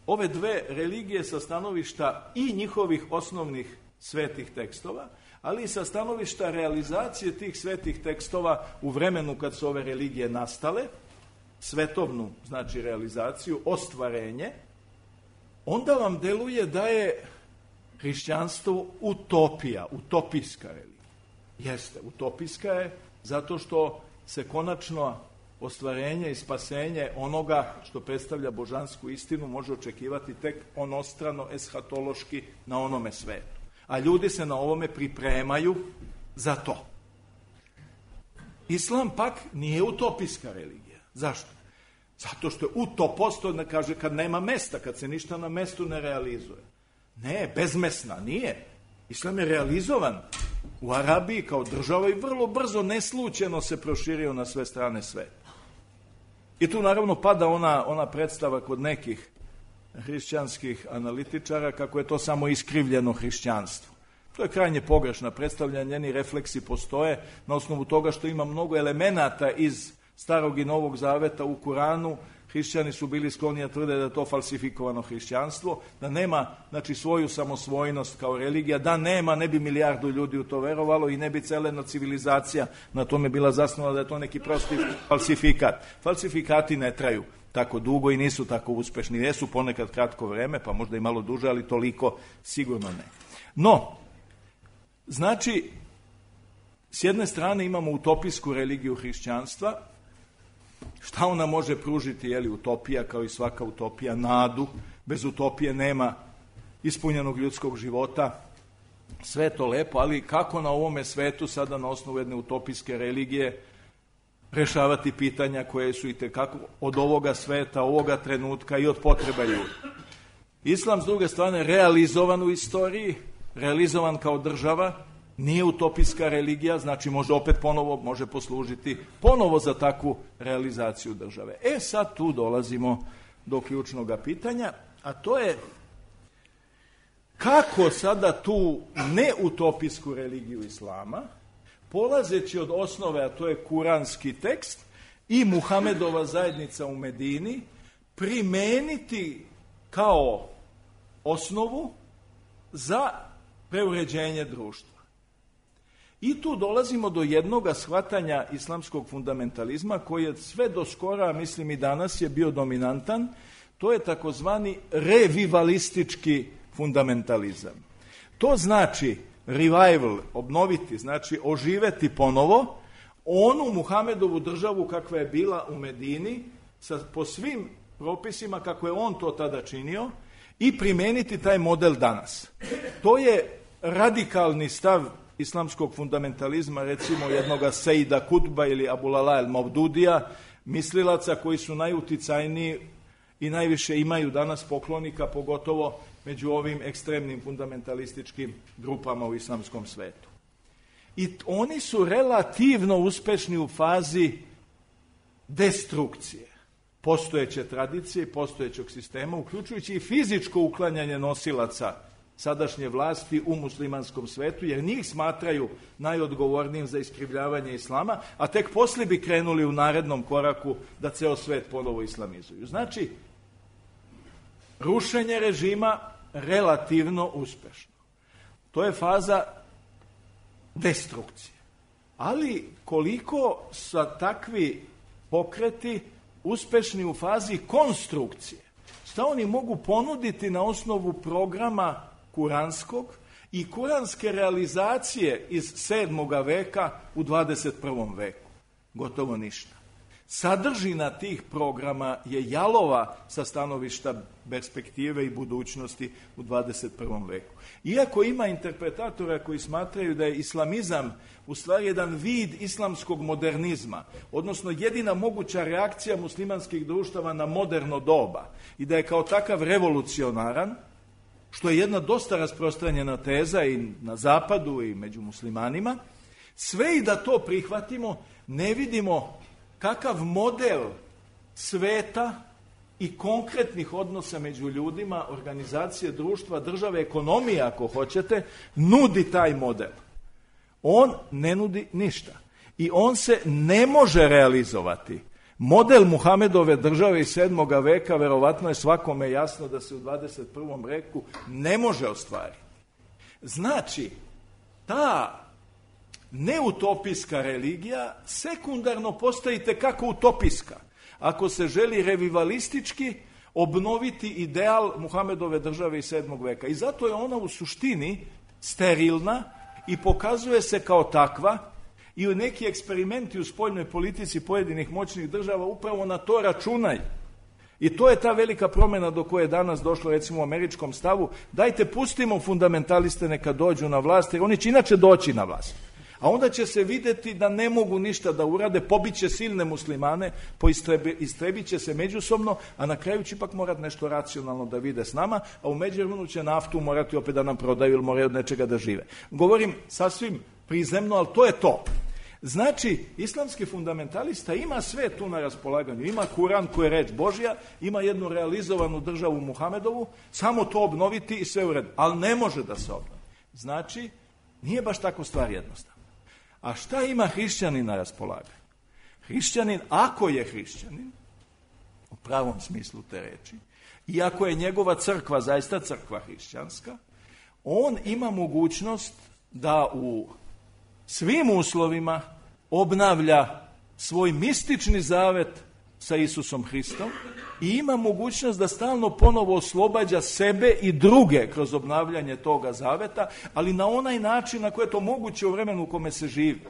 [SPEAKER 5] ove dve religije sa stanovišta i njihovih osnovnih svetih tekstova, ali i sa stanovišta realizacije tih svetih tekstova u vremenu kad su ove religije nastale, svetovnu, znači realizaciju, ostvarenje, onda vam deluje da je hrišćanstvo utopija, utopijska religija. Jeste, utopijska je zato što se konačno ostvarenje i spasenje onoga što predstavlja božansku istinu može očekivati tek onostrano, eshatološki na onome svetu. A ljudi se na ovome pripremaju za to. Islam pak nije utopijska religija. Zašto? Zato što je utopost, to ne kaže kad nema mesta, kad se ništa na mestu ne realizuje. Ne, bezmesna, nije. Islam je realizovan u Arabiji kao država i vrlo brzo, neslučajno se proširio na sve strane sveta. I tu naravno pada ona, ona predstava kod nekih hrišćanskih analitičara kako je to samo iskrivljeno hrišćanstvo. To je krajnje pogrešna predstavljanja, njeni refleksi postoje na osnovu toga što ima mnogo elemenata iz Starog i Novog Zaveta u Kuranu. Hrišćani su bili skloni da tvrde da je to falsifikovano hrišćanstvo, da nema, znači, svoju samosvojnost kao religija, da nema, ne bi milijardu ljudi u to verovalo i ne bi celena civilizacija na tome bila zasnovana, da je to neki prosti falsifikat. Falsifikati ne traju tako dugo i nisu tako uspešni. Jesu ponekad kratko vreme, pa možda i malo duže, ali toliko sigurno ne. No, znači, s jedne strane imamo utopijsku religiju hrišćanstva. Šta ona može pružiti, je li utopija, kao i svaka utopija, nadu, bez utopije nema ispunjenog ljudskog života. Sve je to lepo, ali kako na ovome svetu sada na osnovu jedne utopijske religije rešavati pitanja koje su i tekako od ovoga sveta, ovoga trenutka i od potreba ljudi. Islam, s druge strane, realizovan u istoriji, realizovan kao država, nije utopijska religija, znači može opet ponovo, može poslužiti ponovo za takvu realizaciju države. E sad tu dolazimo do ključnog pitanja, a to je kako sada tu neutopijsku religiju Islama, polazeći od osnove, a to je kuranski tekst i Muhamedova zajednica u Medini, primeniti kao osnovu za preuređenje društva. I tu dolazimo do jednoga shvatanja islamskog fundamentalizma koji je sve do skora, mislim i danas, je bio dominantan. To je takozvani revivalistički fundamentalizam. To znači revival, obnoviti, znači oživeti ponovo onu Muhamedovu državu kakva je bila u Medini, sa, po svim propisima kako je on to tada činio, i primeniti taj model danas. To je radikalni stav islamskog fundamentalizma, recimo jednoga Sejida Kutba ili Abulala el Mavdudija, mislilaca koji su najuticajniji i najviše imaju danas poklonika, pogotovo među ovim ekstremnim fundamentalističkim grupama u islamskom svetu. I oni su relativno uspešni u fazi destrukcije postojeće tradicije i postojećeg sistema, uključujući i fizičko uklanjanje nosilaca sadašnje vlasti u muslimanskom svetu, jer njih smatraju najodgovornijim za iskrivljavanje islama, a tek poslije bi krenuli u narednom koraku da ceo svet ponovo islamizuju. Znači, rušenje režima relativno uspešno. To je faza destrukcije. Ali koliko su takvi pokreti uspešni u fazi konstrukcije? Šta oni mogu ponuditi na osnovu programa kuranskog i kuranske realizacije iz sedmoga veka u dvadeset prvom veku? Gotovo ništa. Sadržina tih programa je jalova sa stanovišta perspektive i budućnosti u dvadeset prvom veku. Iako ima interpretatora koji smatraju da je islamizam u stvari jedan vid islamskog modernizma, odnosno jedina moguća reakcija muslimanskih društava na moderno doba i da je kao takav revolucionaran, što je jedna dosta rasprostranjena teza i na zapadu i među muslimanima, sve i da to prihvatimo, ne vidimo kakav model sveta i konkretnih odnosa među ljudima, organizacije društva, države, ekonomije, ako hoćete, nudi taj model. On ne nudi ništa. I on se ne može realizovati. Model Muhamedove države iz sedmoga veka, verovatno je svakome jasno da se u dvadeset prvom veku ne može ostvariti. Znači, ta neutopijska religija sekundarno postaje kako utopijska. Ako se želi revivalistički obnoviti ideal Muhamedove države iz sedmog veka. I zato je ona u suštini sterilna i pokazuje se kao takva i u neki eksperimenti u spoljnoj politici pojedinih moćnih država upravo na to računaju. I to je ta velika promjena do koje je danas došlo, recimo u američkom stavu. Dajte, pustimo fundamentaliste neka dođu na vlast, jer oni će inače doći na vlast. A onda će se vidjeti da ne mogu ništa da urade, pobiće silne muslimane, istrebit će se međusobno, a na kraju će ipak morati nešto racionalno da vide s nama, a u međuvremenu će naftu morati opet da nam prodaju ili moraju od nečega da žive. Govorim sasvim prizemno, ali to je to. Znači, islamski fundamentalista ima sve tu na raspolaganju. Ima Kuran koji je reč Božja, ima jednu realizovanu državu Muhamedovu, samo to obnoviti i sve u redu. Ali ne može da se obnovi. Znači, nije baš tako stvar jednostavna. A šta ima hrišćanin na raspolaganju? Hrišćanin, ako je hrišćanin, u pravom smislu te reči, i ako je njegova crkva zaista crkva hrišćanska, on ima mogućnost da u svim uslovima obnavlja svoj mistični zavet sa Isusom Hristom i ima mogućnost da stalno ponovo oslobađa sebe i druge kroz obnavljanje toga zaveta, ali na onaj način na koje je to moguće u vremenu u kome se živi.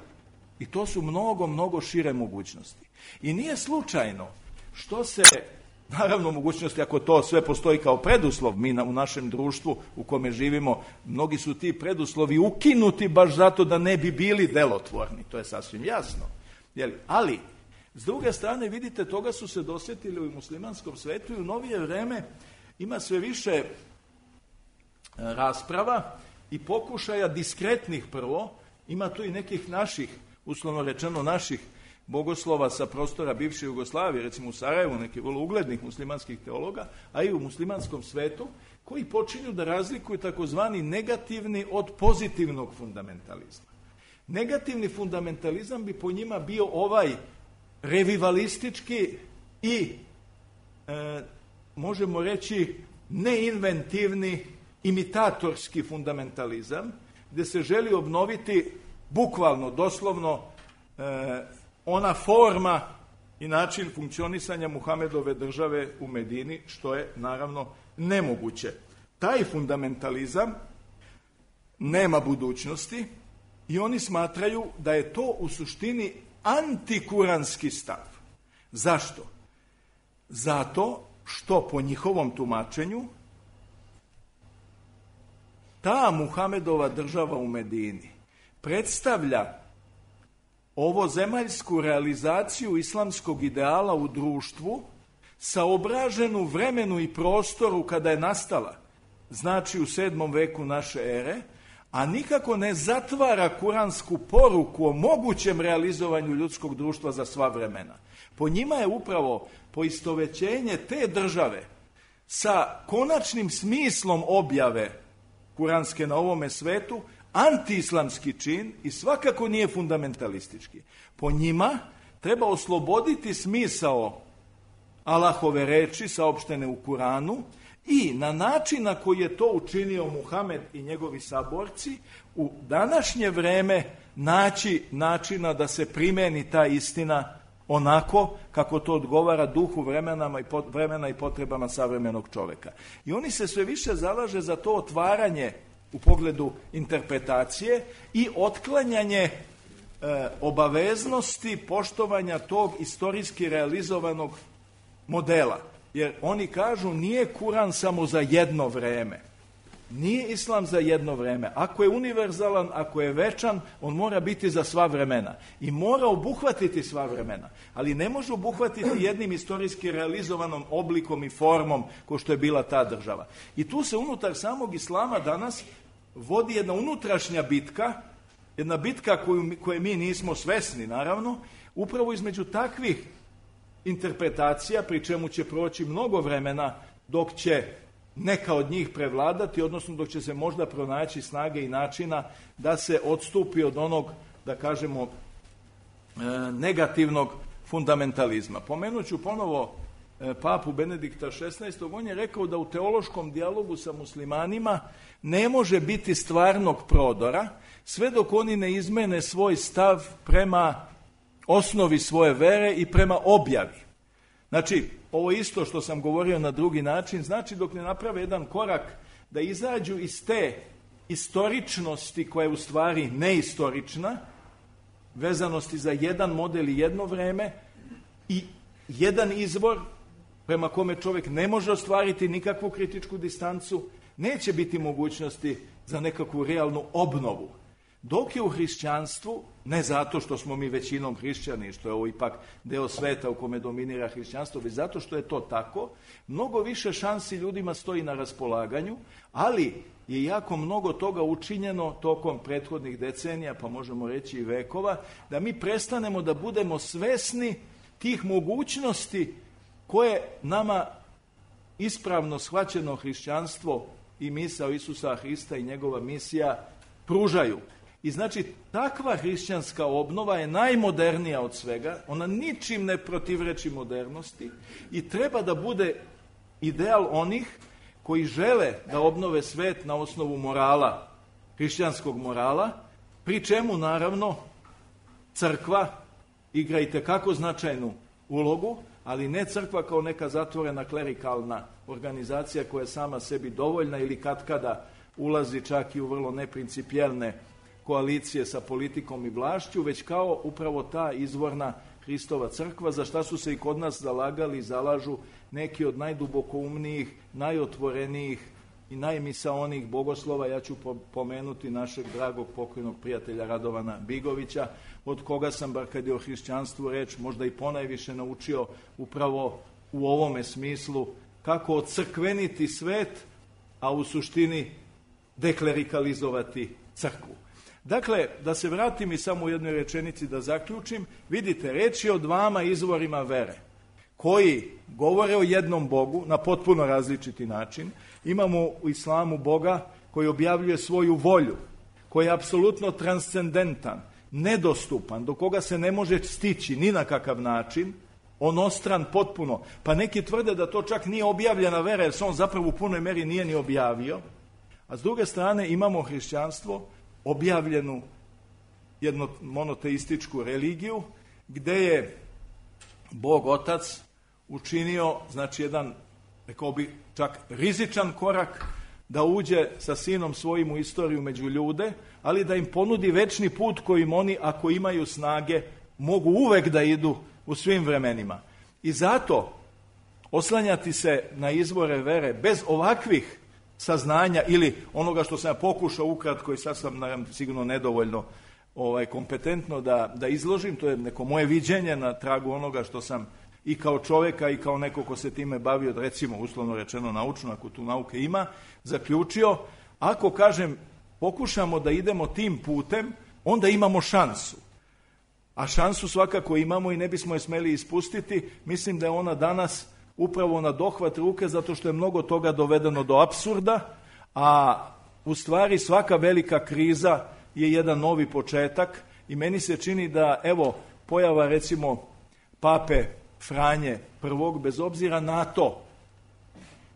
[SPEAKER 5] I to su mnogo, mnogo šire mogućnosti. I nije slučajno što se naravno mogućnosti, ako to sve postoji kao preduslov, mi na, u našem društvu u kome živimo, mnogi su ti preduslovi ukinuti baš zato da ne bi bili delotvorni, to je sasvim jasno. Jeli? Ali, s druge strane, vidite, toga su se dosjetili u muslimanskom svetu i u novije vreme ima sve više rasprava i pokušaja diskretnih prvo, ima tu i nekih naših, uslovno rečeno naših bogoslova sa prostora bivše Jugoslavije, recimo u Sarajevu, nekih vrlo uglednih muslimanskih teologa, a i u muslimanskom svetu, koji počinju da razlikuju takozvani negativni od pozitivnog fundamentalizma. Negativni fundamentalizam bi po njima bio ovaj revivalistički i, e, možemo reći, neinventivni, imitatorski fundamentalizam, gdje se želi obnoviti bukvalno, doslovno, e, ona forma i način funkcionisanja Muhamedove države u Medini, što je naravno nemoguće. Taj fundamentalizam nema budućnosti i oni smatraju da je to u suštini antikuranski stav. Zašto? Zato što po njihovom tumačenju ta Muhamedova država u Medini predstavlja ovo zemaljsku realizaciju islamskog ideala u društvu saobraženu vremenu i prostoru kada je nastala, znači u sedmom veku naše ere, a nikako ne zatvara kuransku poruku o mogućem realizovanju ljudskog društva za sva vremena. Po njima je upravo poistovećenje te države sa konačnim smislom objave kuranske na ovome svetu antiislamski čin i svakako nije fundamentalistički. Po njima treba osloboditi smisao Allahove reči saopštene u Kuranu i na način na koji je to učinio Muhamed i njegovi saborci u današnje vreme naći načina da se primeni ta istina onako kako to odgovara duhu vremenama i pot, vremena i potrebama savremenog čoveka. I oni se sve više zalaže za to otvaranje u pogledu interpretacije i otklanjanje e, obaveznosti poštovanja tog istorijski realizovanog modela. Jer oni kažu nije Kuran samo za jedno vreme. Nije islam za jedno vreme. Ako je univerzalan, ako je večan, on mora biti za sva vremena. I mora obuhvatiti sva vremena. Ali ne može obuhvatiti jednim istorijski realizovanom oblikom i formom ko što je bila ta država. I tu se unutar samog islama danas vodi jedna unutrašnja bitka, jedna bitka koju, koje mi nismo svesni, naravno, upravo između takvih interpretacija, pri čemu će proći mnogo vremena dok će neka od njih prevladati, odnosno dok će se možda pronaći snage i načina da se odstupi od onog, da kažemo, negativnog fundamentalizma. Pomenut ću ponovo papu Benedikta šesnaestog. On je rekao da u teološkom dijalogu sa muslimanima ne može biti stvarnog prodora sve dok oni ne izmene svoj stav prema osnovi svoje vere i prema objavi. Znači, ovo isto što sam govorio na drugi način, znači dok ne naprave jedan korak da izađu iz te istoričnosti koja je u stvari neistorična, vezanosti za jedan model i jedno vreme i jedan izvor prema kome čovjek ne može ostvariti nikakvu kritičku distancu, neće biti mogućnosti za nekakvu realnu obnovu. Dok je u hrišćanstvu, ne zato što smo mi većinom hrišćani, što je ovo ipak deo sveta u kome dominira hrišćanstvo, već zato što je to tako, mnogo više šansi ljudima stoji na raspolaganju, ali je jako mnogo toga učinjeno tokom prethodnih decenija, pa možemo reći i vekova, da mi prestanemo da budemo svesni tih mogućnosti koje nama ispravno shvaćeno hrišćanstvo i misao Isusa Hrista i njegova misija pružaju. I znači, takva hrišćanska obnova je najmodernija od svega, ona ničim ne protivreči modernosti i treba da bude ideal onih koji žele da obnove svet na osnovu morala, hrišćanskog morala, pri čemu, naravno, crkva igra itekako značajnu ulogu, ali ne crkva kao neka zatvorena klerikalna organizacija koja je sama sebi dovoljna ili katkada ulazi čak i u vrlo neprincipijelne koalicije sa politikom i vlašću, već kao upravo ta izvorna Hristova crkva, za šta su se i kod nas zalagali i zalažu neki od najdubokoumnijih, najotvorenijih i najmisaonijih bogoslova. Ja ću pomenuti našeg dragog pokojnog prijatelja Radovana Bigovića, od koga sam, bar kad je o hrišćanstvu reč, možda i ponajviše naučio upravo u ovome smislu kako ocrkveniti svet, a u suštini deklerikalizovati crkvu. Dakle, da se vratim i samo u jednoj rečenici da zaključim, vidite, reč je o dvama izvorima vere, koji govore o jednom Bogu na potpuno različiti način. Imamo u islamu Boga koji objavljuje svoju volju, koji je apsolutno transcendentan, nedostupan, do koga se ne može stići ni na kakav način, onostran potpuno. Pa neki tvrde da to čak nije objavljena vera, jer se on zapravo u punoj meri nije ni objavio. A s druge strane imamo hrišćanstvo, objavljenu jednu monoteističku religiju, gde je Bog Otac učinio, znači jedan, rekao bi, čak rizičan korak da uđe sa sinom svojim u istoriju među ljude, ali da im ponudi večni put kojim oni, ako imaju snage, mogu uvek da idu u svim vremenima. I zato oslanjati se na izvore vere bez ovakvih saznanja ili onoga što sam ja pokušao ukratko i sad sam naravno sigurno nedovoljno ovaj, kompetentno da, da izložim, to je neko moje viđenje na tragu onoga što sam i kao čovjeka i kao neko ko se time bavio, recimo uslovno rečeno naučno, ako tu nauke ima, zaključio, ako kažem pokušamo da idemo tim putem, onda imamo šansu. A šansu svakako imamo i ne bismo je smeli ispustiti. Mislim da je ona danas upravo na dohvat ruke, zato što je mnogo toga dovedeno do apsurda, a u stvari svaka velika kriza je jedan novi početak i meni se čini da, evo, pojava recimo pape Franje prvog, bez obzira na to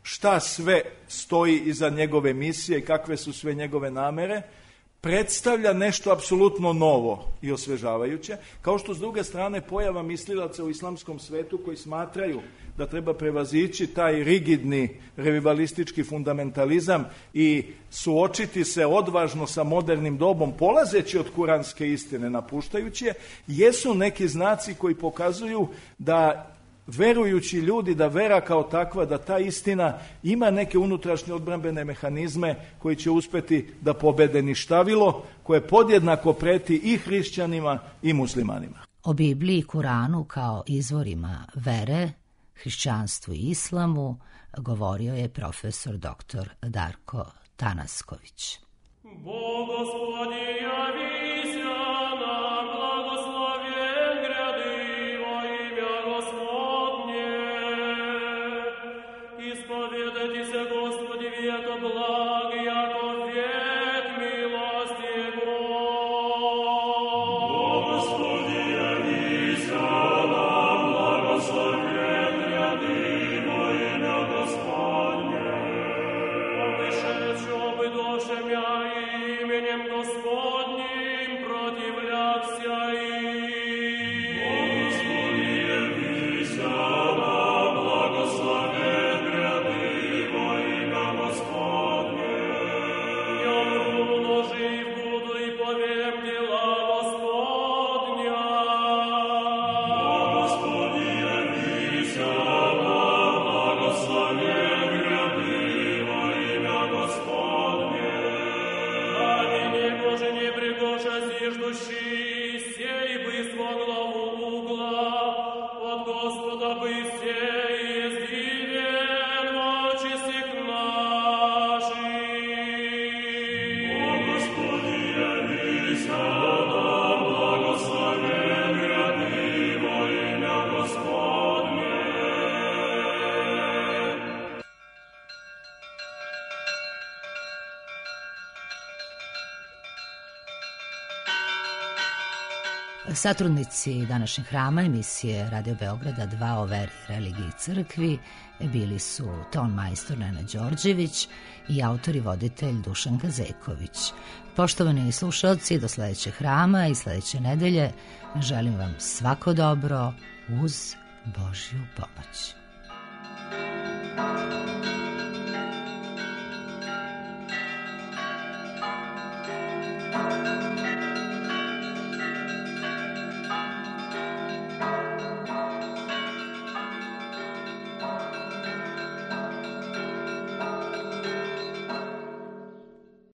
[SPEAKER 5] šta sve stoji iza njegove misije i kakve su sve njegove namere, predstavlja nešto apsolutno novo i osvežavajuće, kao što s druge strane pojava mislilaca u islamskom svetu koji smatraju da treba prevazići taj rigidni revivalistički fundamentalizam i suočiti se odvažno sa modernim dobom, polazeći od kuranske istine, napuštajući je, jesu neki znaci koji pokazuju da verujući ljudi, da vera kao takva, da ta istina ima neke unutrašnje odbrambene mehanizme koji će uspeti da pobede ništavilo, koje podjednako preti i hrišćanima i muslimanima.
[SPEAKER 1] O Bibliji i Kuranu kao izvorima vere, hrišćanstvu i islamu govorio je profesor doktor Darko Tanasković.
[SPEAKER 6] Bog Gospodi javися nam, blagoslovjen gradivo imja Gospodnje. Ispovjedati se Gospodi vijeko blag, jako vijek milosti Jego. Bog Gospodi javися nam, blagoslovjen gradivo imja Gospodnje. Obišeću obidošem ja imenjem Gospodnjim protivljakся im. Gospodi javися nam, blagoslovjen gradivo imja Gospodnje. Ja umru, živ budu i poviem djela Gospodnja. Gospodi javися nam, blagoslovjen gradivo imja Gospodnje. Dani Njegоже не пригоша зиждущий, сей бы смогло угла, от Господа бы сей издивен очи сих наших. О Господи, явися нам, благословен градиво имя Господне.
[SPEAKER 1] Satrudnici današnjeg hrama emisije Radio Beograda dva o veri, religiji i crkvi bili su ton majstor Nenad Đorđević i autor i voditelj Dušan Kazeković. Poštovani slušalci, do sledećeg hrama i sledeće nedelje želim vam svako dobro uz Božju pomoć.